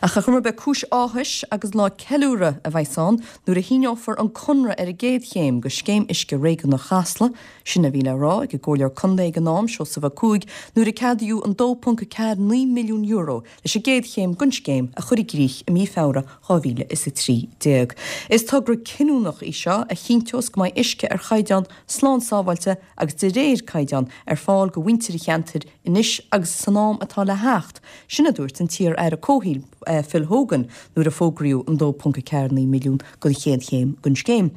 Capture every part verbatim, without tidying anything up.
Ach ar chuma ar bith, cúis áthais agus lá ceiliúradh a bheas ann nuair a shíneofar an conradh ar an gcéad chéim de Scéim Uisce Réigiúnach Chasla, sin a bhí le rá ag an gComhairleoir Contae ag an am, Seosamh Ó Cuaig, nuair a ceadaíodh an dó ponc a ceathair naoi milliún euro leis an gcéad chéim den scéim a chur i gcrích i mí Feabhra dhá mhíle is a trí déag. Is togra cinniúnach í seo a chinnteos go mbeidh uisce ar chaighdeán slán sábháilte agus de réir caighdeán ar fáil do mhuintir an cheantair anois agus san am atá le theacht, sin a dúirt an t-iar-aire Comhshaoil Phil Hogan nuair a fógraíodh an dó ponc a ceathair naoi milliún don chéad chéim den scéim.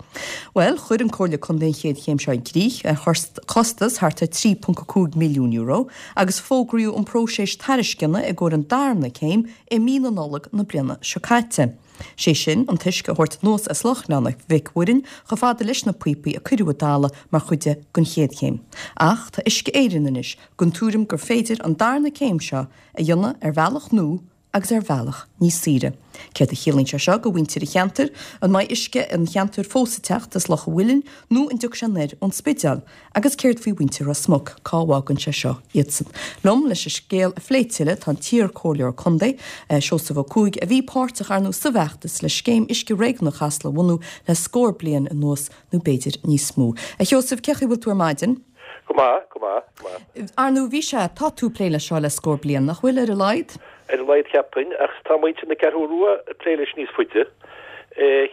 Bhuel, chuir an Comhairle Contae an chéad chéim seo i gcrích ar chostas thart ar trí ponc a cúig milliún euro agus fógraíodh an próiseas tairisceana i gcomhair an darna céim i mí na Nollag na bliana seo caite. Sé sin, an t-uisce a thabhairt anuas as Loch Ghleann Mhic Mhuirinn chomh fada leis na píopaí a cuireadh i dtalamh mar chuid den chéad chéim. Ach tá Uisce Éireann anois den tuairim gur féidir an darna céim seo a dhéanamh ar bhealach nua agus ar bhealach níos saoire. Céard a chiallaíonn sé seo do mhuintir an cheantair? An mbeidh uisce an cheantair fós ag teacht as Loch an Mhuilinn nó an dtiocfaidh sé anoir ón Spidéal? Agus céard faoi mhuintir Ros Muc, cá bhfágann sé seo iadsan? Liom leis an scéal a phlé tuilleadh tá an t-iar-chomhairleoir contae, Seosamh Ó Cuaig, a bhí páirteach ar ndóigh sa bhfeachtas le Scéim Uisce Réigiúnach Chasla a bhunú le scór bliain anuas nó b'fhéidir níos mó. A Sheosaimh, cén chaoi a bhfuil tú ar maidin? Go maith, go maith, go maith. Ar ndóigh, bhí sé, tá tú ag plé leis seo le scór bliain, nach bhfuil, ar a laghad? Ar a laghad cheapfainn, ach tá muintir na Ceathrú Rua ag plé leis níos faide.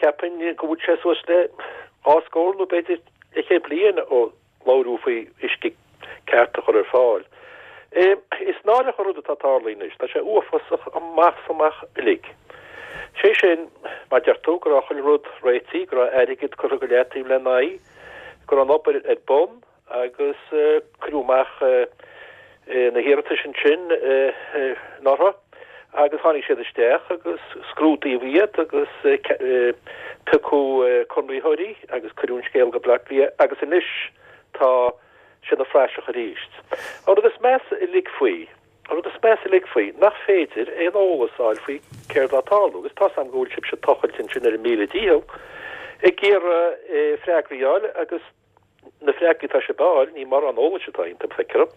Cheapfainn go bhfuil sé suas le dhá scór nó b'fhéidir leathchéad bliain ó labhraíodh faoi uisce ceart a chur ar fáil. Is náireach an rud atá ag tarlú anois, tá sé uafásach amach is amach uilig. Sé sin, mar deir tú, go raibh chuile rud réitithe, go raibh airgead curtha go leataobh lena aghaidh, go raibh an obair ar bun agus cuireadh amach na hiarratais ansin anuraidh agus tháinig siad isteach agus scrúdaíodh iad agus piocadh conraitheoirí agus cuireadh an scéal go Baile Átha Cliath agus anois tá sé ina phraiseach arís. An rud is measa uilig faoi, an rud is measa uilig faoi, nach féidir aon eolas a fháil faoi céard atá ag tarlú agus tá's agam go bhfuil sibhse ag tochailt ansin ar a míle dícheall ag iarraidh freagraí a fháil agus na freagraí atá sibh a fháil, ní mórán eolais atá iontu, feictear dom.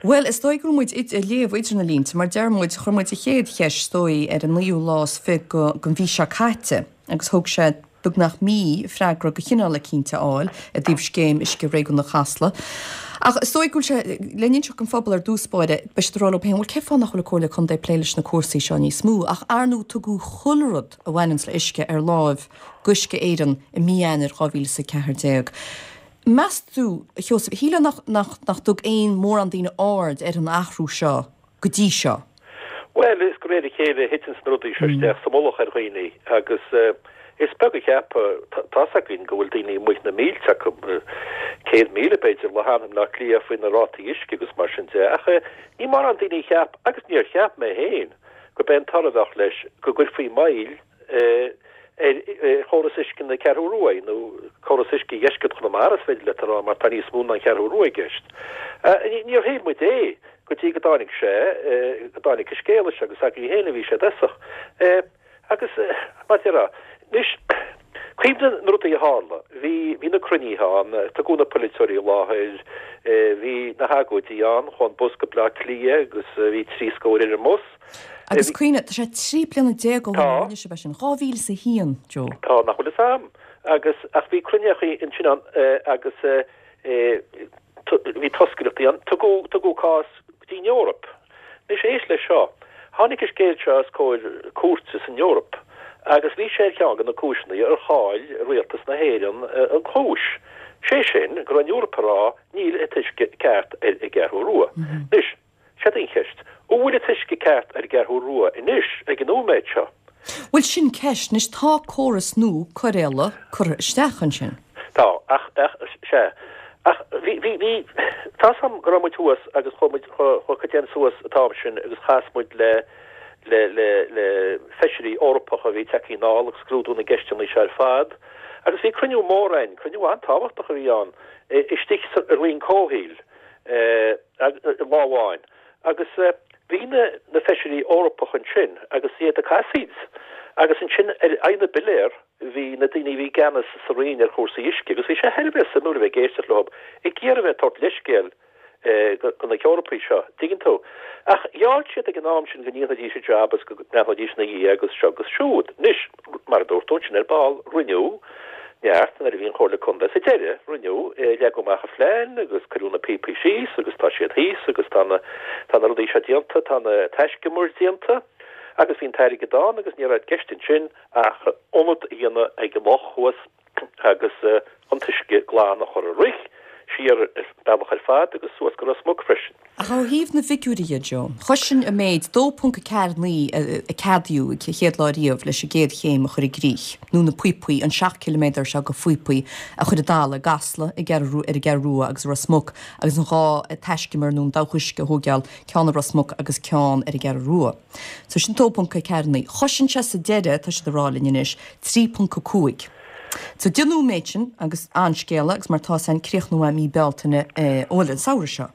Bhuel, is dóigh go raibh muid ag léamh idir na línte, mar deir muid, chuir muid an chéad cheist, is dóigh, ar an naoú lá is fiche den mhí seo caite agus thóg sé beagnach mí freagra de chineál eicínt a fháil i dtaobh Scéim Uisce Réigiúnach Chasla. Ach is dóigh go bhfuil sé, le n-inseacht don phobal ar dtús báire, beidh siad ag rá leo féin, bhuel, cén fáth nach bhfuil an Comhairle Contae ag plé leis na cúrsaí seo níos mó? Ach ar ndóigh tugadh chuile rud a bhaineanns le uisce ar láimh d'Uisce Éireann i mí Eanáir dhá mhíle is a ceathair déag. Meas tú, a Sheosaimh, shílfeá nach, nach, nach dtug aon mórán daoine aird ar an athrú seo go dtí seo? Bhuel, is de réir a chéile a thiteanns na rudaí seo isteach sa mullach ar dhaoine agus is beag a cheap, tá's againn go bhfuil daoine amuigh na mílte acu, céad míle b'fhéidir, le hanam i mBleá Cliath faoi na rátaí uisce agus mar sin de, ach ní mórán daoine a cheap, agus níor cheap mé féin, gurb é an toradh a bheadh leis go gcuirfí moill ar chóras uisce na Ceathrú Rua, nó córas uisce dheisceart Chonamara is féidir leat a rá mar tá níos mó ná an Cheathrú Rua i gceist. Níor shíl muid é go dtí go dtáinig sé, go dtáinig an scéal seo agus agaibh féin a bhí sé i dtosach. Agus mar a déarfá, anois, cuimhnigh na rudaí a tharla, bhí, bhí na cruinnithe ann, tugadh na polaiteoirí i láthair, bhí na hagóidí ann, chuaigh an bus go Bleá Cliath agus bhí trí scór ar an mbus. Agus cuimhnigh, tá sé trí bliana déag ó shin a rinne sibh é sin, dhá mhíle is a haon, Joe. Tá, nach bhfuil fhios a'm. Agus, ach bhí cruinneachaí ansin ann agus bhí toscaireachtaí ann. Tugadh, tugadh cás go dtí an Eoraip. Anois éist leis seo. Tháinig an scéal seo os comhair cúirte san Eoraip agus bhí sé ar cheann de na cúiseanna ar chaill rialtas na hÉireann an chúis. Sé sin, go raibh an Eoraip ag rá níl an t-uisce ceart ar an gCeathrú Rua. Anois, Seod í an cheist. An bhfuil an t-uisce ceart ar an gCeathrú Rua anois, ag an nóiméad seo? Bhuel, sin ceist. Anois, tá córas nua cóireála curtha isteach ansin. Tá, ach, ach, sea. Ach bhí, bhí, bhí, tá's a'm go raibh muid thuas agus chuaigh muid, chuaigh cuid againn suas an t-am sin agus chas muid le, le, le, le feisirí Eorpacha a bhí tagtha anall ag scrúdú na gceisteanna seo ar fad. Agus bhí cruinniú mór a'inn, cruinniú an-tábhachtach a bhí ann, istigh sa Roinn Comhshaoil. lá amháin agus bhí na na feisirí Eorpacha ansin agus iad ag casaoid agus ansin ar aghaidh na bpiléar bhí na daoine a bhí i gceannas sa Roinn ar chúrsaí uisce agus bhí sé thar a bheith suimiúil a bheith ag éisteacht leo ag iarraidh a bheith ag tabhairt leithscéal go na hEorpaigh seo, tuigeann tú. Ach gheall siad ag an am sin go ndéanfaidís an jab agus go ndéanfaidís ina dhiaidh agus seo agus siúd. Anois, mar a dúirt tú ansin ar ball, rinneadh neart nuair a bhí an Chomhairle Contae sa deireadh, rinneadh, leagadh amach an phlean agus cuireadh na píopaí síos agus tá siad thíos agus tá na, tá na rudaí seo déanta, tá na taiscumair déanta agus bhí an t-airgead ann agus ní raibh i gceist ansin ach ionad a dhéanamh ag an loch thuas agus an t-uisce glan a chur ag rith siar an bealach ar fad agus suas go Ros Muc freisin. Ach ó thaobh na bhfigiúirí dhe, Joe, chloisinn an méid dó ponc a ceathair naoi a ceadaíodh an chéad lá riamh leis an gcéad chéim a chur i gcrích, nó na píopaí, an seacht ciliméadar seo de phíopaí a chur i dtalamh i gCasla, i gCeathrú, ar an gCeathrú Rua agus i Ros Muc agus an dhá taiscumar nó an dabhach uisce a thógáil, ceann i Ros Muc agus ceann ar an gCeathrú Rua. So sin dó ponc a ceathair naoi. Chosain sé sa deireadh, tá siad ag rá linn anois, trí ponc a cúig. So déanadh an méid sin agus an-scéala agus mar tá san críochnú mí Bealtaine bhuel an samhradh seo.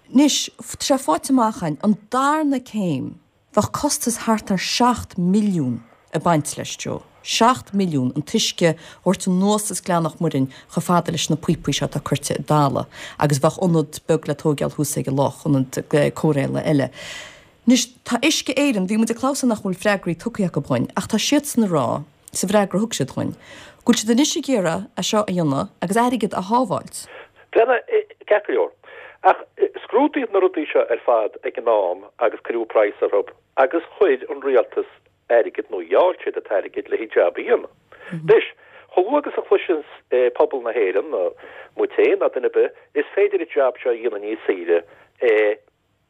Anois, tá sé faighte amach againn, an darna céim, bheadh costas thart ar seacht milliún ag baint leis, Joe. Seacht milliún, an t-uisce a thabhairt anuas as Gleann Loch Muirinn chomh fada leis na píopaí seo atá curtha i dtalamh agus bheadh ionad beag le tóigeáil thuas ag an loch, ionad cóireála eile. Anois, tá Uisce Éireann, bhí muid ag clamhsán nach bhfuil freagraí tugtha acu dhuinn, ach tá siadsan ag rá, sa bhfreagra a thug siad dhuinn, go bhfuil siad anois ag iarraidh é seo a dhéanamh agus airgead a shábháilt. Bhuel, ceart go leor. Ach scrúdaíodh na rudaí seo ar fad ag an am agus cuireadh praghas orthu agus chuir an rialtas airgead nó gheall siad an t-airgead le haghaidh jab a dhéanamh. Anois, chomh luath agus a chloiseanns pobal na hÉireann, nó muid féin ná duine ar bith, is féidir an jab seo a dhéanamh níos saoire,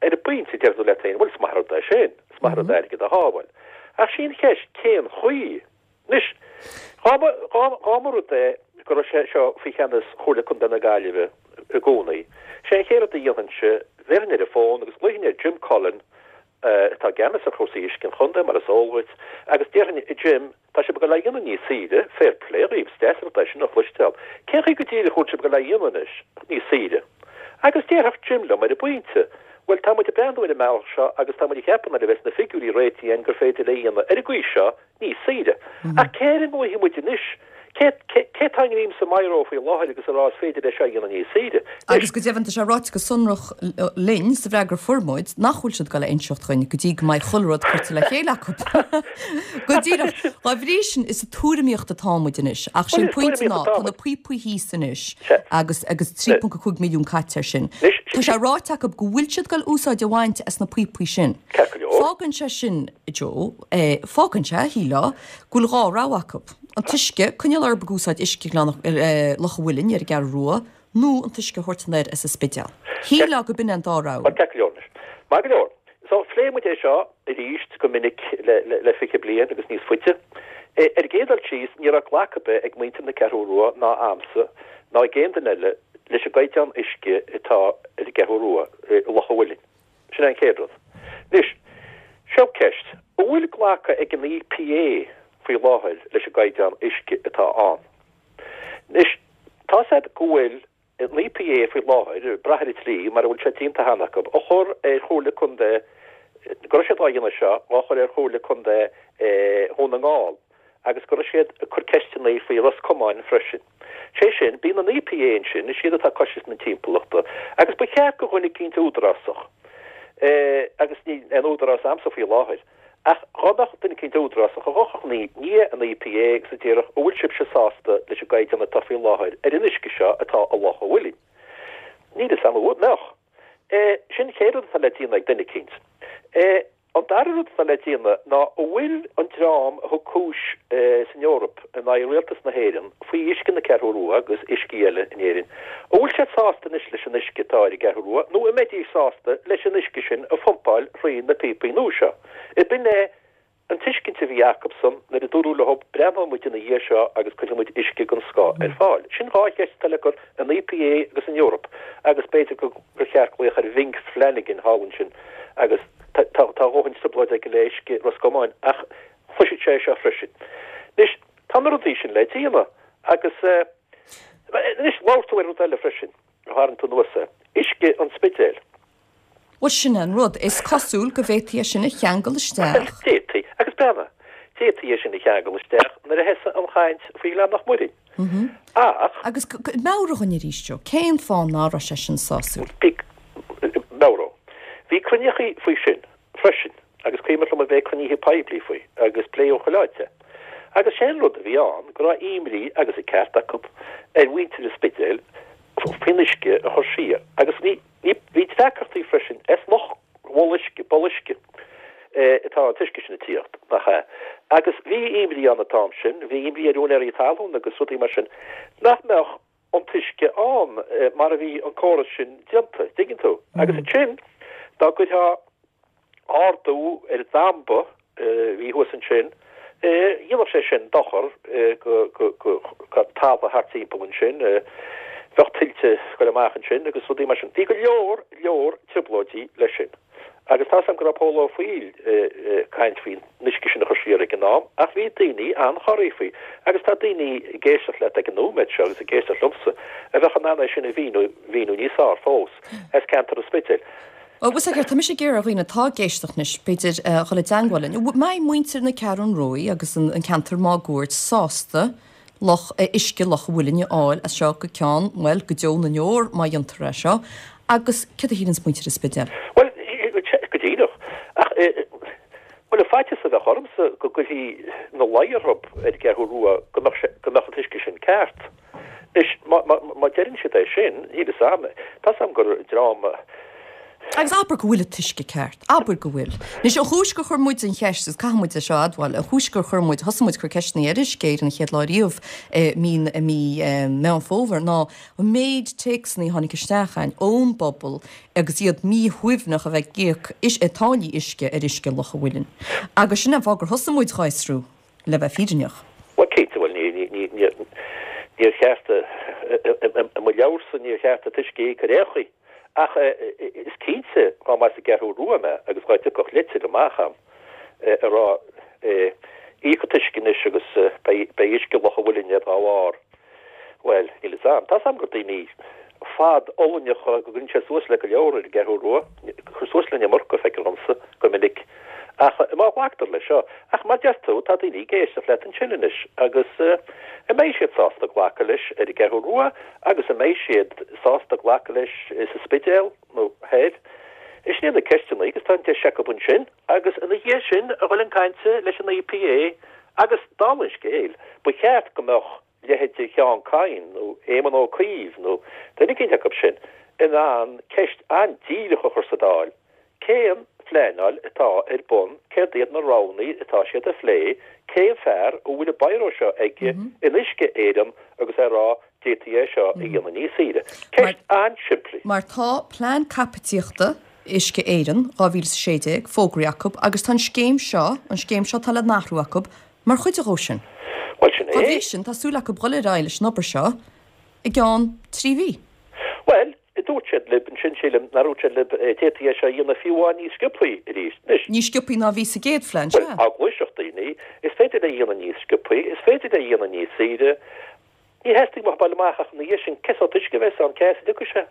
Ar an bpointe, deir tú leat féin, bhuel, is maith an rud é sin, is maith an rud airgead a shábháil. Ach sí an cheist, cén chaoi? Anois, dá mba, dá mba rud é go raibh sé seo faoi cheannas Chomhairle Contae na Gaillimhe i gcónaí, sé an chéad rud a dhéanfainnse, bhéarfainn ar an bhfón agus ghlaofainn ar Jim Cullen, atá i gceannas ar chúrsaí uisce an chontae, mar is eol dhuit, agus déarfainn, a Jim, Tá sibh ag dul é a dhéanamh níos saoire, fair play dhaoibh, is deas an rud é sin a chloisteáil. Cén chaoi go díreach a bhfuil sibh ag dul é a dhéanamh anois, níos saoire? Agus déarfadh Jim liom ar an bpointe, bhuel, tá muid ag breathnú ar an mbealach seo agus tá muid ag ceapadh nuair a bheas na figiúirí réitithe againn gur féidir le a dhéanamh ar an gcaoi seo níos saoire. Ach cé air a nglaofaidh muid anois? Cé cé atá i ngreim sa mbíró faoi láthair agus ag rá is féidir é seo a dhéanamh níos saoire? Agus go deimhin tá sé ráite go sonrach linn sa bhfreagra a fuair muid nach bhfuil siad ag dul a inseacht dhuinn go dtí go mbeidh chuile rud curtha le chéile acu. Go díreach. Dá bhrí sin is sa tuairimíocht atá muid anois. Ach sé an pointe ná tá na píopaí thíos anois agus agus trí ponc a cúig milliún caite air sin. Tá sé ráite acu go bhfuil siad ag dul úsáid a bhaint as na píopaí sin. Fágann sé sin, Joe, fágann sé, shílfeá, go bhfuil dhá rogha acu. An t-uisce, coinneáil orthu ag úsáid uisce Ghleann Loch an Mhuilinn ar an gCeathrú Rua nó an t-uisce a thabhairt anoir as an Spidéal. Shílfeá go b'in é an dá rogha. Ceart go leor anois. Maith go leor. So, phléigh muid é seo arís go minic le le fiche bliain agus níos faide. Ar an gcéad dul síos, ní raibh glacadh ar bith ag muintir na Ceathrú Rua ná a'msa ná ag aon duine eile leis an gcaighdeán uisce atá ar an gCeathrú Rua i Loch an Mhuilinn. Sin é an chéad rud. Anois, seo ceist, an bhfuil glactha ag an EPA faoi láthair leis an gcaighdeán uisce atá ann? Anois, tá's a'd go bhfuil an EPA faoi láthair, ag brath ar an tslí mar a bhfuil sé déanta cheana acu, á chur ar Chomhairle Contae, go raibh siad á dhéanamh seo, á chur ar Chomhairle Contae Dhún na nGall agus go raibh siad ag cur ceisteanna faoi Ros Comáin freisin. Sé sin, bíonn an EPA ansin, is iad atá ag cosaint na timpeallachta, agus ba cheart go dhuine eicínt údarásach, agus níl aon údarás a'msa faoi láthair, ach dhá mbeadh duine eicínt údarásach a ghabhfadh i ndiaidh an EPA agus a déarfadh, an bhfuil sibhse sásta leis an gcaighdeán atá faoi láthair ar an uisce seo atá i Loch an Mhuilinn? Níl fhios a'm an mbeadh. Sin an chéad rud atá le déanamh ag duine eicínt. An dara rud atá le déanamh ná an bhfuil an dream a thug cúis san Eoraip in aghaidh Rialtas na hÉireann faoi uisce na Ceathrú Rua agus uiscí eile in Éirinn, an bhfuil siad sásta anois leis an uisce atá ar an gCeathrú Rua nó an mbeidís sásta leis an uisce sin a phumpáil thrí na píopaí nua seo? Ab in é an tuiscint a bhí acubsan nuair a dúradh leo breathnóidh muid ina dhiaidh seo agus cuirfidh muid uisce den scoth ar fáil. Sin dhá cheist atá le cur an EPA agus an Eoraip agus b'fhéidir gur cheart glaoch ar Bhing Flanagan thall ansin agus Tá a dhóthain trioblóid aige le uisce Ros Comáin ach chloisfeadh sé é seo freisin. Anois, tá na rudaí sin le déanamh agus anois labhair tú ar rud eile freisin, a tharraing tú anuas é, uisce an Spidéil. Bhuel, sin é an rud. Is cosúil go bhféadfaí é sin a cheangal isteach. D'fhéadfaí. Agus breathnaigh, d'fhéadfaí é sin a cheangal isteach nuair a thosaigh an chaint faoi Ghleann Loch Muirinn. Ach. Agus meabhraigh dhúinn arís, Joe, cén fáth ná raibh sé sin sásúil? Bhí, meabhródh. Bhí cruinnithe faoi sin freisin agus cuimhin liom a bheith ag cruinnithe poiblí faoi agus pléadh chuile áit é. Agus sé an rud a bhí ann go raibh imní agus an ceart acu ar mhuintir an Spidéil faoin uisce a chur siar agus ní, ní, bhí deacrachtaí freisin as loch uisce, poll uisce atá an t-uisce sin ag tíocht, nach ea? Agus bhí imní ann an t-am sin, bhí imní ar úinéirí talún agus rudaí mar sin, nach mbeadh an t-uisce ann mar a bhí an córas sin déanta, dtuigeann tú? Agus ansin, dá gcuirfeá ardú ar an damba a bhí thuas ansin, dhéanfadh sé sin dochar go talamh thart timpeall ansin, bheadh tuilte ag goil amach ansin agus rudaí mar sin. Bhí go leor, leor trioblóidí leis sin. Agus tá's agam go raibh Pól Ó Foighil ag caint faoin uisce sin a chur siar ag an am, ach bhí daoine an-chorraithe faoi. Agus tá daoine ag éisteacht leat ag an nóiméad seo agus ag éisteacht liomsa a bheadh in ann é sin a mhíniú, mhíniú níos fearr fós, as ceantar an Spidéil. Ó, bhfuil a fhios agat, tá mise ag iarraidh ar dhaoine atá ag éisteacht anois, b'fhéidir, a dhul i dteangmháil linn. An mbeidh muintir na Ceathrún Rua agus an ceantar máguaird sásta loch, uisce Loch an Mhuilinn a fháil as seo go ceann, bhuel, go deo na ndeor má dhéantar é seo. Agus céard a shíleanns muintir an Spidéil? Bhuel, go díreach. Ach, bhuel, an faitíos a bheadh ormsa go gcuirfí ina luí orthu ar an gCeathrú Rua go mbeadh sé, go mbeadh an t-uisce sin ceart. Anois, má deireann siad é sin, níl fhios a'm, tá's a'm gur dream. Agus abair go bhfuil an t-uisce ceart. Abair go bhfuil. Anois, an chúis gur chuir muid an cheist, agus caithfidh muid é seo a admháil, an chúis gur chuir muid, thosaigh muid ag cur ceisteanna ar Uisce Éireann an chéad lá riamh i mí, i mí Meán Fómhair, ná an méid téacsanna a tháinig isteach a'inn ón bpobal agus iad míshuaimhneach a bheith ag íoc táillí uisce ar uisce Loch an Mhuilinn. Agus sin an fáth gur thosaigh muid dhá fhiosrú. Le bheith fírinneach. Bhuel, cinnte, bhuel, ní, ní, ní, ní, níor cheart, i mo leabharsa, níor cheart an t-uisce a íoc ar aon chaoi. Ach is cinnte, dá mba as an gCeathrú Rua mé agus dá dtiocfadh litir amach a'm ag rá, íoc an t-uisce anois agus beidh, beidh uisce Loch an Mhuilinn agat dá bharr, bhuel, níl fhios a'm. Tá's a'm gur daoine fadfhulaingteacha, go gcuireann sé suas le go leor ar an gCeathrú Rua, cuir suas le an iomarca, feictear dhomsa, go minic. Ach má ghlactar leis seo, ach mar deir tú, tá daoine ag éisteacht leat ansin anois agus an mbeidh siad sásta glacadh leis ar an gCeathrú Rua agus an mbeidh siad sásta glacadh leis sa Spidéal nó thoir? Sin iad na ceisteanna agus tá an deis acu ansin agus ina dhiaidh sin a dhul chun cainte leis an EPA agus dála an scéil, ba cheart go mbeadh leithéidí Sheán Kyne nó Éamon Ó Cuív nó duine eicínt acu sin in ann ceist an-díreach a chur sa Dáil, cén phleanáil atá ar bun, céard iad na roghanna atá siad a phlé, cén fear a bhfuil an biro seo aige in Uisce Éireann agus é ag rá d'fhéadfaí é seo a dhéanamh níos saoire. Ceist an-simplí. Mar tá plean caipitíochta Uisce Éireann dhá mhíle is a sé déag fógraithe acu agus tá an scéim seo, an scéim seo atá le n-athrú acu, mar chuid dhó sin. Bhuel, sin é. Dá bhrí sin, tá súil acu dhul ar aghaidh leis an obair seo i gceann trí mhí. Bhuel, dúirt siad libh ansin, sílim, nár dhúirt siad libh, d'fhéadfaí é seo a dhéanamh fiú amháin níos sciobthaí arís. Anois. Níos sciobthaí ná a bhí sa gcéad phlean, sea. Bhuel, eagla ar dhaoine, is féidir é a dhéanamh níos sciobthaí, is féidir é a dhéanamh níos saoire. Ní theastaigh uathu bail amach ach ina dhiaidh sin, cén sórt uisce a bheas ann, cé as a dtiocfaidh sé?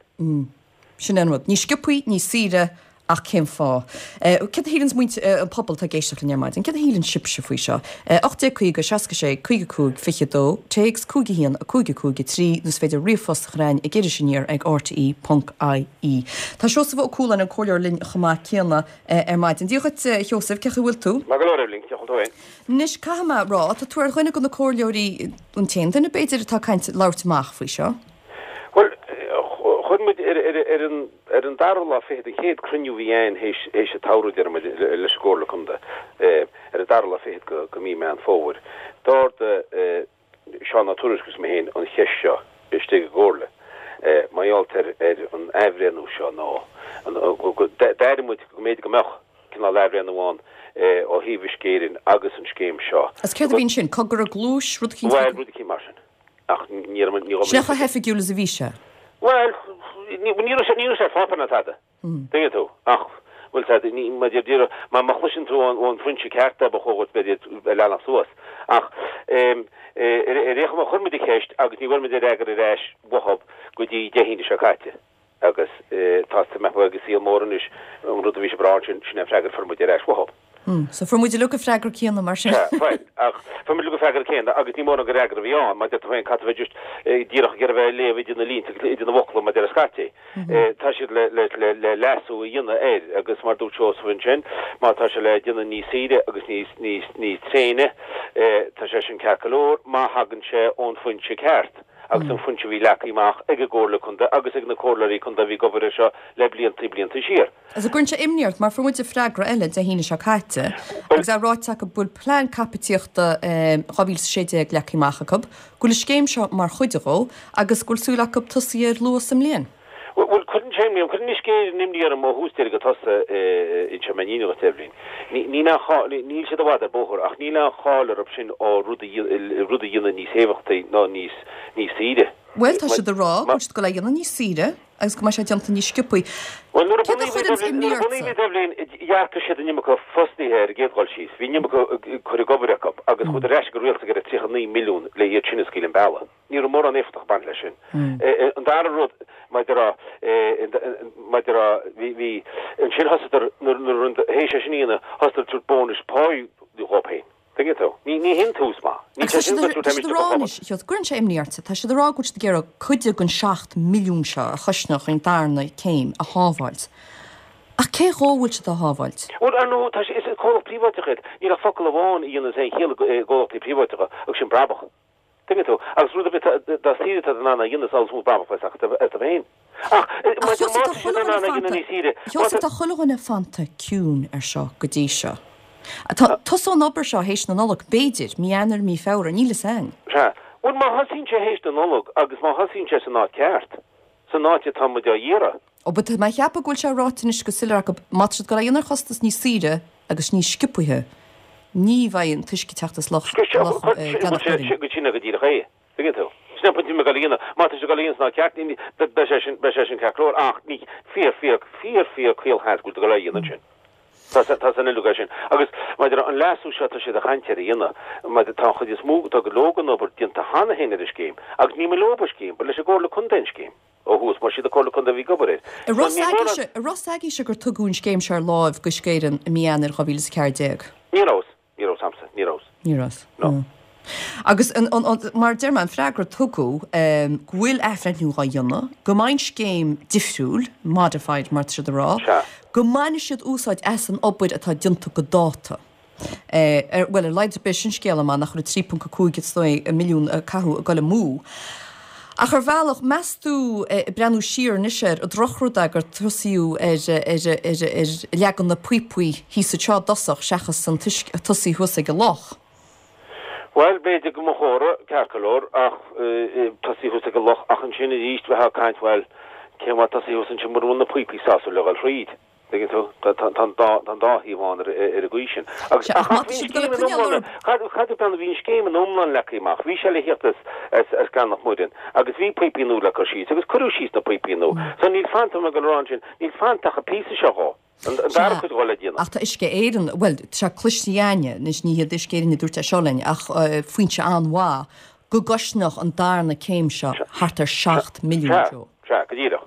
Sin é an rud. Níos sciobthaí, níos saoire, ach cén fáth? Céard a shíleanns muintir, an pobal atá ag éisteacht linn ar maidin, céard a shíleann sibhse faoi seo? ocht déag caoga, seasca sé, caoga cúig, fiche dó, téacs cúig a haon, a cúig a cúig a trí, nó is féidir ríomhphost a chur chugainn ag Iris Aniar ag rte ponc ie. Tá Seosamh Ó Cualáin, an comhairleoir linn chomh maith céanna ar maidin. Dia dhuit a Sheosaimh, cén chaoi a bhfuil tú? Maith go leor Eibhlín, cén chaoi a bhfuil tú féin? Anois caithfidh mé a rá, tá tú ar dhuine de na comhairleoirí, an t-aon duine b'fhéidir atá ag caint, labhairt amach faoi seo. Bhuel, chuir muid ar an ar an dara lá fichead, an chéad cruinniú a bhí againn théis théis an tsamhraidh, deir muid, leis an gComhairle Contae, ar an dara lá fichead go go mí Meán Fómhair, d'ardaigh Seán Ó Tuairisg agus mé féin an cheist seo istigh i gComhairle mar gheall ar ar an athbhreithniú seo nó d'airigh muid go mb'fhéidir go mbeadh cineál athbhreithniú ann ó thaobh Uisce Éireann agus an scéim seo. Agus céard a bhí ansin? Cogar i gcluais, rud eicínt? Bhuel, rud eicínt mar sin. Ach ní raibh, ní raibh. Sin é chomh hoifigiúil is a bhí sé. Bhuel, ní raibh sé, ní raibh sé ar pháipéar ná tada. Tuigeann tú? Ach, bhuel, tá, ní, má deir, deir, má, má chloiseann tú ón, ón bhfoinse ceart é, ba chóir duit, b'fhéidir, a leanacht suas. Ach, em, ar, ar aon chuma, chuir muid an cheist agus ní bhfuair muid an fhreagra ar ais uathub go dtí Dé hAoine seo caite. Agus, eh, tá, tá mé ag saol mór anois, an rud a bhí sibh a rá ansin, sin é an freagra a fuair muid ar ais uathub. So fuair muid uilig an freagra céanna mar sin. Sea, bhuel, ach fuair muid uilig an freagra céanna agus ní mórán gur fhreagra a bhí ann, mar deir tú féin, caithfidh a bheith just díreach ag iarraidh a bheith ag léamh idir na línte agus idir na bhfocla mar deir scaití. Tá siad le, le, le, le leasú a dhéanamh air agus mar dúirt Seosamh ansin, má tá sé le déanamh níos saoire agus níos, níos, níos tréine, tá sé sin ceart go leor má thagann sé ón foinse ceart agus an foinse a bhí leagtha amach ag an gComhairle Contae agus ag na comhairleoirí contae a bhí ag obair air seo le blianta, blianta siar. Agus an gcuireann sé imní ort, mar fuair muid freagra eile Dé hAoine seo caite, agus é ráite acu go bhfuil plean caipitíochta dhá mhíle is a sé déag leagtha amach acu, go bhfuil an scéim seo mar chuid dhó agus go bhfuil súil acu tosaí air luath sa mbliain. Bhuel, cuireann sé imní orm, cuireann Uisce Éireann imní orm ó thús deireadh go tosaigh, inseoidh mé an fhírinne dhuit, Eibhlín. Níl aon cháil, níl siad i bhfad ar bóthar, ach níl aon cháil orthu sin ó rud a rud a dhéanamh níos éifeachtaí ná níos níos saoire. Bhuel, tá siad ag rá go bhfuil siad ag dul é a dhéanamh níos saoire agus go mbeidh sé déanta níos sciobthaí. Bhuel, nuair a Céard a bunaíodh chuireann iad, imní nuair a ortsa? bunaíodh iad, Eibhlín, d'earcaigh siad an iomarca fostaithe ar an gcéad dhul síos. Bhí an iomarca cur ag obair acu agus chuadar ar ais go rialtas ag iarraidh tríocha naoi milliún le iad sin a scaoileadh an bealach. Ní raibh mórán éifeachtach ag baint leis sin. An dara rud, maidir a, maidir a, bhí, bhí, ansin thosaíodar, nuair, nuair a, théis é sin a dhéanamh, thosaíodar ag tabhairt bónais páí dhóibh féin. Tuigeann tú? Ní, ní hin tús maith. Ní Agus tá sé sin siad go tá siad ag rá anois, Sheosamh, gcuireann sé imní ortsa, tá siad ag rá go bhfuil siad ag iarraidh cuid den seacht milliún seo a chosnódh an darna céim a shábháilt. Ach cé dhó bhfuil siad á shábháilt? Bhuel, ar ndóigh, tá sé, is comhlacht príobháideach iad. Níl ach focal amháin a dhéananns aon chiall i gcomhlachtaí príobháideacha, agus sin brabach. Tuigeann tú? Agus rud ar bith dá saoire atá in ann a dhéanamh is amhlaidh is mó brabach a bheas acu iontu féin. Ach Ach má Sheosamh, tá tá siad chuile in dhuine ann a dhéanamh fanta, níos saoire, má Sheosamh, tá. tá chuile dhuine fanta ciúin ar seo go dtí seo. Tá, tosóidh an obair seo théis na Nollag, b'fhéidir, mí Eanáir, mí Feabhra, níl fhios a'inn. Sea. Bhuel, má thosaíonn sé théis na Nollag agus má thosaíonn sé san áit ceart, san áit atá muid á iarraidh. Ó, but tá mé ag ceapadh go bhfuil sé ráite anois go soiléir acu, má tá siad ag dul é a dhéanamh ar chostas níos saoire agus níos sciobthaithe, ní bheidh an t-uisce ag teacht as Loch Loch Gleann an Mhuilinn. Go sin go díreach é, tuigeann tú. Sin an pointe mé ag dul a dhéanamh. Má tá sé ag dul a dhéanamh san áit ceart, beidh sé sin beidh sé sin ceart go leor, ach ní fíor fíor fíor fíor caolsheans go bhfuil ag dul é a dhéanamh ansin. Tá tá san uilig é sin. Agus maidir an leasú seo tá siad ag caint air a dhéanamh, maidir tá an chuid is mó tá go leor den obair déanta cheana féin ar an scéim, agus ní maith leo an scéim, ba leis an gComhairle Contae an scéim ó thús, mar siad an Comhairle Contae a bhí ag obair air. An So raibh ní mór s'agaibhse, an raibh s'agaibhse gur tugadh an scéim seo ar láimh go Uisce Éireann i mí Eanáir dhá mhíle is a ceathair déag? Ní raibh, ní raibh s'a'msa, ní raibh. Ní raibh. No. Agus an, an, an, mar deir mé an freagra tugadh um, go bhfuil athbhreithniú á dhéanamh, go mbeidh an scéim difriúil, modified mar tá siad a rá, Sea. go mbainfidh siad úsáid as an obair atá déanta go dáta. Eh, ar, well, ar laghad ar bith sin scéal amach nach raibh trí ponc a cúig is dóigh milliún a caitheadh ag dul amú. Ach ar bhealach, meas tú eh, breathnú siar anois air, an drochrud é gur tosaíodh ar, ar, ar, ar leagan na píopaí thíos anseo i dtosach seachas an tois- tosaí thuas ag an loch. Bhuel, b'fhéidir go mba chóir, ceart go leor, ach tosaí thuas ag an loch, ach ansin arís bheifeá ag caint, bhuel, cén mhaith tosaí thuas ansin mura bhfuil na píopaí sásúil le dhul thríd? Tuigeann tú? Tá tá an dá tá an dá thaobh ann ar ar an gcaoi sin. Agus Sea, ach ach má ach tá bhí an siad ag dul scéim ag in coinneáil iomlán orthu. cad cad a bhean bhí an scéim in iomlán leagtha amach. Bhí sé le thíocht as as as Gleann Loch Muireann agus bhí píopaí nua le cur síos agus cuireadh síos na píopaí nua. So níl fanta mé ag dul a rá ansin, níl fanta ach an píosa seo dhó. An an dara Sea, cuid dhó le déanamh. ach tá Uisce Éireann, bhuel, tá sé cloiste againne, anois ní hiad Uisce Éireann a dúirt é seo linn, ach uh, foinse an-mhaith go gcosnódh an darna céim seo thart ar seacht milliún Sea, Joe. sea, go díreach.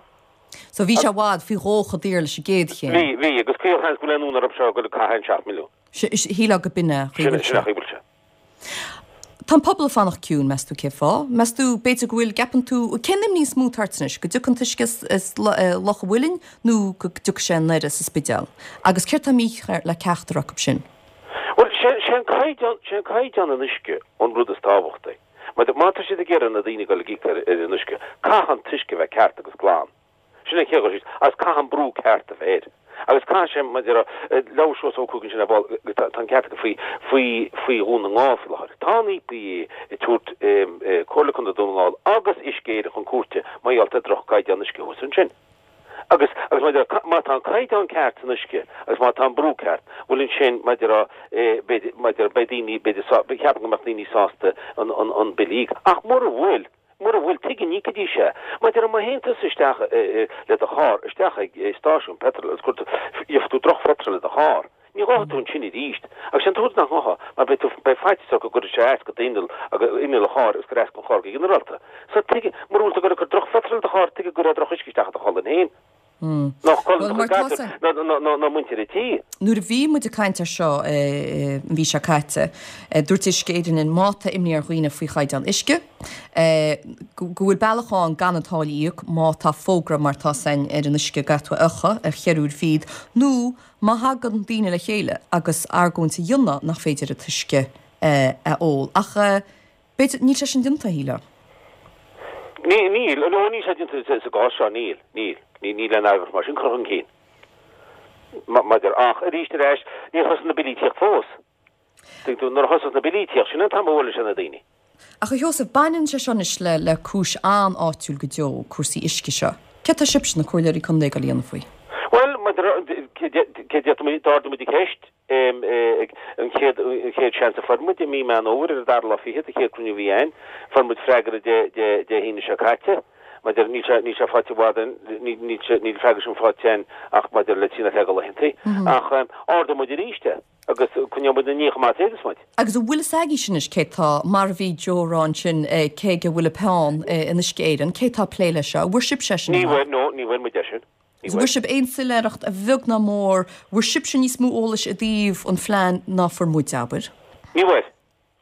So bhí sé i bhfad faoi dhó chomh daor leis an gcéad chéim. Bhí, bhí, agus caolsheans go bhfuil aon fhonn orthu seo go caitheadh an seacht milliún. Shílfeá go b'in é Sin chaoi sin a chaoi bhfuil sé. Tá an pobal ag fanacht ciúin, meas tú cén fáth? Meas tú b'fhéidir go bhfuil gceapann tú cén imní is mó atá ort anois, go dtiocfaidh an t-uisce as, as eh, Loch an Mhuilinn nó go dtiocfaidh sé anoir as an Spidéal. Agus céard tá mícheart le ceachtar acu sin? Bhuel, sé sé an caighdeán sé an caighdeán an uisce an rud is tábhachtaí. Má má tá siad ag iarraidh na daoine go íoc ar ar an uisce, caithfidh an t-uisce bheith ceart agus glan. Sin é cé agus caithfidh an brú ceart a bheith air. Agus caithfidh sé maidir le Seosamh Ó Cuaig sin ar ball tá an ceart aige faoi faoi faoi Dhún na nGall faoi láthair. Tá an EPA ag tabhairt Comhairle Contae Dhún na nGall agus Uisce Éireann chun cúirte mar gheall ar droch-chaighdeán uisce thuas ansin. Agus agus maidir má tá an caighdeán ceart san uisce agus má tá an brú ceart, bhuel ansin maidir b'fhéidir maidir beidh daoine b'fhéidir ceapaim go mbeadh daoine sásta an an an bille a íoc. Ach mura bhfuil, mura bhfuil tuige an íocfaidís é. Maidir má théann tusa isteach le do charr isteach ag stáisiún petrol agus cuir tú gheobhaidh tú drochphetrol i do charr. Ní ghabhfaidh tú ansin arís. Agus sin tuairim nach ngabhfá, mar beidh tú beidh faitíos ort go gcuirfidh sé as go inneall agus inneall an chairr agus gur as don charr go ginearálta. So tuige mura bhfuil tú ag cur drochphetrol i do charr tuige go raibh drochuisce isteach i do cholainn féin. Nach ná muintir an tí. Nuair a bhí muid ag caint air seo an mhí seo caite, dúirt Uisce Éireann má tá imní ar dhaoine faoi chaighdeán uisce, go bhfuil bealach ann gan an táille a íoc má tá fógra mar tá san ar an uisce go iocha ar cheithre uair fichead nó má thagann daoine le chéile agus argóint a dhéanamh nach féidir an t-uisce a ól. Ach b'fhéidir níl sé sin déanta, shílfeá. Níl, nó níl sé déanta sa gcás seo, níl, níl. Ní níl aon argóint mar sin curtha chun cinn. Maidir ach arís ar ais, níor thosaigh na billí tíocht fós. Tuig tú, nuair a thosós na billí tíocht, sin an t-am a bhuaileann sé na daoine. Ach a Sheosaimh, baineann sé seo anois le le cúis an-áitiúil go deo, cúrsaí uisce seo. Céard tá sibhse, na comhairleoirí contae, ag dul a dhéanamh faoi? Bhuel, maidir, cé déarfaidh muid, d'ardaigh muid an cheist ag an chéad an chéad seans a fuair muid i mí Meán Fhómhair ar an dara lá fichead, an chéad cruinniú a bhí againn. Fuair muid freagra Dé Dé Dé hAoine seo caite. Maidir, níl sé, níl sé faighte i bhfad, níl sé, níl freagra sin faighte againn ach maidir le trí nó ceathair de laethantaí. Ach ardóidh muid arís é agus coinneoidh muid ina ndiaidh chomh maith is a fhéadas muid. Agus an bhfuil fhios agaibhse anois cé tá, mar a bhí Joe a rá ansin, cé aige a bhfuil an peann in Uisce Éireann, cé tá ag plé leis seo? An bhfuair sibhse é sin Ní bhfuair, no, ní bhfuair muid é sin. Ní bhfuair. Bhfuair sibh aon soiléireacht, a bheag ná mór, bhfuair sibhse níos mó eolais i dtaobh an phlean ná fuair muid, abair? Ní bhfuair.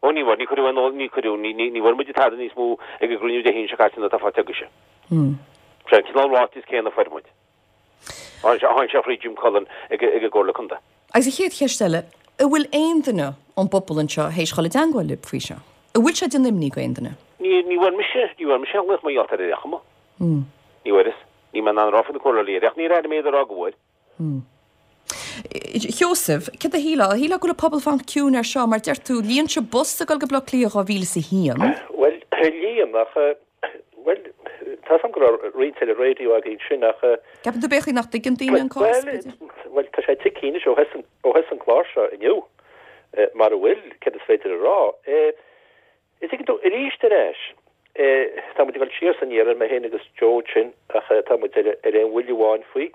Ó ní bhfuair, ní cuireadh aon, ní cuireadh, ní, ní, ní bhfuair muid tada níos mó ag an gcruinniú Dé hAoine seo caite ná atá faighte agaibhse. Sé an cineál ráitis céanna a fuair muid. Tháinig sé, tháinig sé thríd Jim Cullen ag, ag an gComhairle Contae. Agus an chéad cheist eile, an bhfuil aon duine ón bpobal anseo théis dhul i dteangmháil libh faoi seo? An bhfuil sé ag déanamh imní go aon duine? Ní, ní bhfuair mise, ní bhfuair mise aon ghlaoch mar gheall air ar aon chuma. Ní bhfuaireas. Níl mé in ann a rá faoi na comhairleoirí eile ach níor airigh mé iad ag rá go bhfuair. Sheosaimh, céard a shílfeá? An shílfeá go bhfuil an pobal fanacht ciúin air seo, mar deir tú, líon sibh bus ag dul go Baile Átha Cliath dhá mhíle is a haon. Bhuel, líon, ach, bhuel, tá 'fhios a'm go raibh roinnt eile raidió againn sin, ach. Ceapann tú b'fhéidir nach dtuigeann daoine an cás, b'fhéidir? Bhuel, tá sé tuigthe anois ó thosaigh an clár seo inniu, mar a bhfuil, céard is féidir a rá. An dtuigeann tú, arís ar ais, tá muid ag dul siar is aniar air, mé féin agus Joe ansin, ach tá muid ar aon bhuille amháin faoi.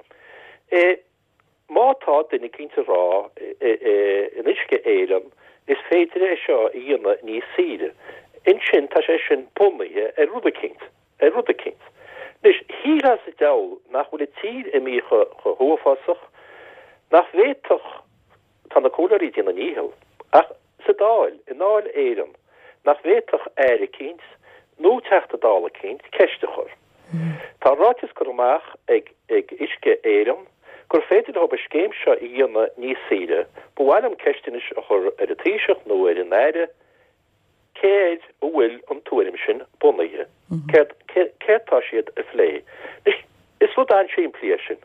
Má tá duine eicínt ag rá in Uisce Éireann is féidir é seo a dhéanamh níos saoire, ansin tá sé sin bunaithe ar rud eicínt, ar rud eicínt. Anois, shílfeá sa diabhal nach bhfuil an tír imithe chomh huafásach, nach bhféadfadh, tá na comhairleoirí ag déanamh a ndícheall, ach sa Dáil, i nDáil Éireann, nach bhféadfadh aire eicínt nó Teachta Dála eicínt ceist a chur. Tá ráiteas curtha amach ag Uisce Éireann gur féidir leo an scéim seo a dhéanamh níos saoire. Ba mhaith liom ceist anois a chur ar an Taoiseach nó ar an Aire, cé air a bhfuil an tuairim sin bunaithe? Céard, céard tá siad a phlé? Anois, is rud an-simplí é sin.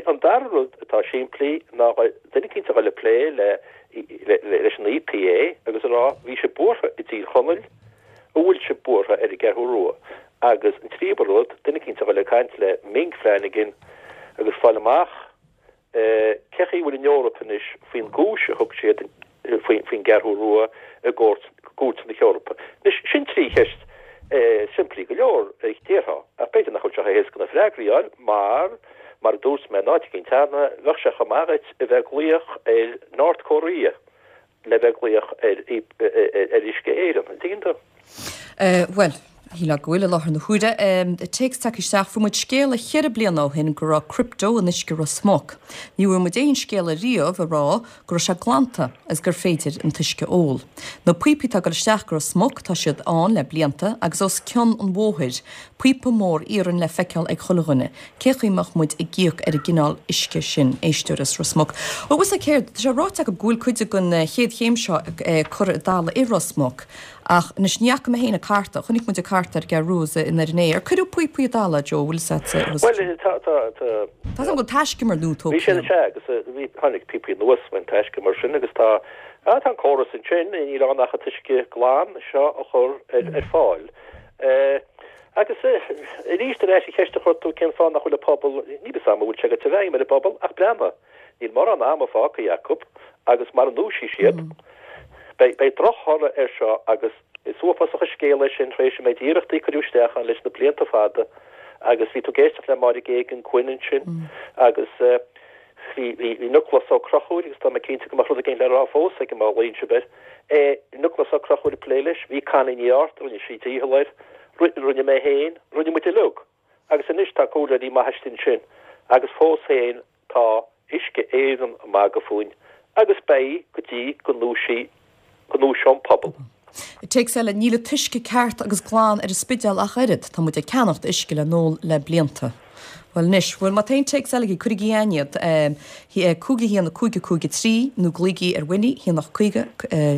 An dara rud atá simplí ná duine eicínt a dhul ag plé le leis an E P A agus a rá bhí sibh buartha i dTír Chonaill, an bhfuil sibh buartha ar an gCeathrú Rua? Agus an tríú rud, duine eicínt a dhul ag caint le Ming Flanagan agus fáil amach cé chaoi a bhfuil an Eoraip anois faoin gcúis a thug siad faoin gCeathrú Rua i gcúirt na hEorpa. Anois, sin trí cheist simplí go leor, déarfá, ach b'fhéidir nach bhfuil sé chomh héasca na freagraí a fháil mar, mar a dúirt mé in áit eicínt cheana, bheadh sé chomh maith duit a bheith ag glaoch ar North Korea le bheith ag glaoch ar Uisce Éireann, an dtuigeann tú? Bhuel, shílfeá go bhfuil i láthair na huaire. Téacs tagtha isteach, fuair muid scéala cheithre bliana ó shin go raibh crypto in uisce Ros Muc. Ní bhfuair muid aon scéala riamh ag rá go raibh sé glanta agus gur féidir an t-uisce a ól. Na píopaí atá ag dul isteach go Ros Muc, tá siad ann le blianta agus os cionn an bhóthair, píopa mór iarainn le feiceáil ag chuile dhuine. Cé chaoi mbeadh muid ag íoc ar an gcineál uisce sin? Éisteoir as Ros Muc. Bhuel, bhfuil 's a'd céard, tá sé ráite acu go bhfuil cuid den chéad chéim seo curtha i dtalamh i Ros Muc. Ach anois ní fhaca mé féin an carta, chonaic muid an carta ar an gCeathrú Rua i nDoire an Fhéich. Ar cuireadh píopaí i dtalamh, Joe, bhfuil 'fhios a'd? Bhuel, tá, tá, tá. Tá 's agam go bhfuil taiscumar nua tógtha. Bhí siad, sea, agus bhí, tháinig píopaí anuas faoin taiscumar sin agus tá, ah, tá an córas ansin, níl ann ach an t-uisce glan seo a chur ar, ar fáil. Agus arís ar ais an cheist a chuir tú, cén fáth nach bhfuil an pobal, níl 'fhios a'm an bhfuil sé ag goil i bhfeidhm ar an bpobal, ach breathnaigh, níl mórán ama fágtha acu agus mara ndúisíonn siad, Beidh drochthoradh air seo agus is uafásach an scéal é sin tar éis an méid iarrachtaí a cuireadh isteach ann leis na blianta fada agus bhí tú ag éisteacht le Máire Geoghegan Quinn ansin agus bhí bhí Nioclás Ó Conchúir agus tá mé cinnte go mbeadh rud éigin le rá fós aige má ghlaonn sibh air, Nioclás Ó Conchúir ag plé leis, bhí Connie Ní Arta, rinne sí dícheall air, rinne mé féin, rinne muid uilig. Agus anois tá comhairleoirí maithe istigh ansin Agus fós féin tá Uisce Éireann ag magadh fúinn agus beidh go dtí go ndúisí go ndúiseoidh an pobal. Téacs eile, Níl an t-uisce ceart agus glan ar an Spidéal ach oiread, tá muid ag ceannacht uisce le n-ól le blianta. Bhuel anois, bhuel má tá aon téacs eile agaibh, cuirigí chugainn iad, cúig a haon a cúig a cúig a trí nó glaoigí ar Winnie, haon ocht caoga,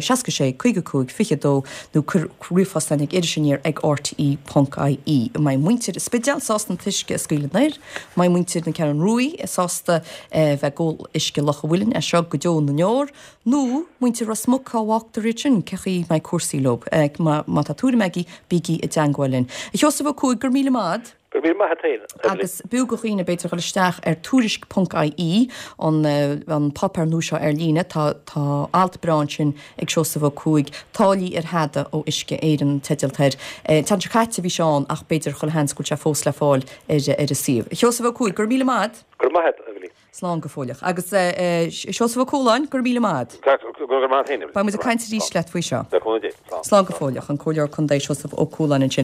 seasca sé, caoga cúig, fiche dó nó cuir ríomhphost chugainn ag Iris Aniar ag rte ponc ie. An mbeidh muintir an Spidéil sásta an t-uisce a scaoileadh in aer? An mbeidh muintir na Ceathrún Ruaidh sásta bheith ag ól uisce Loch an Mhuilinn as seo go deo na ndeor? Nó muintir Ros Muc, cá bhfágtar iad sin? Cé chaoi mbeidh cúrsaí leo? Má tá tuairim agaibh, bígí i dteangmháil linn. A Sheosaimh Ó Cuaig, go raibh míle maith agat. Go raibh míle maith agat féin, a Eibhlín. Agus b'fhiú do dhaoine, b'fhéidir, dhul isteach ar tuairisc ponc ie, an an páipéar nua seo ar líne. Tá tá alt breá ansin ag Seosamh Ó Cuaig, Táillí ar Thada ó Uisce Éireann an teideal atá air. An tseachtain seo caite bhí sé ann ach b'fhéidir chuile sheans go bhfuil sé fós le fáil ar ar an suíomh. A Sheosaimh Ó Cuaig, go raibh míle maith agat. Go raibh maith agat, a Eibhlín. Slán go fóilleach. Agus Seosamh Ó Cualáin, go raibh míle maith agat. Go raibh maith agat féin. Beidh muid ag caint arís leat faoi seo. Le cúnamh Dé. Slán. Slán go fóilleach. An Comhairleoir Contae Seosamh Ó Cualáin ansin.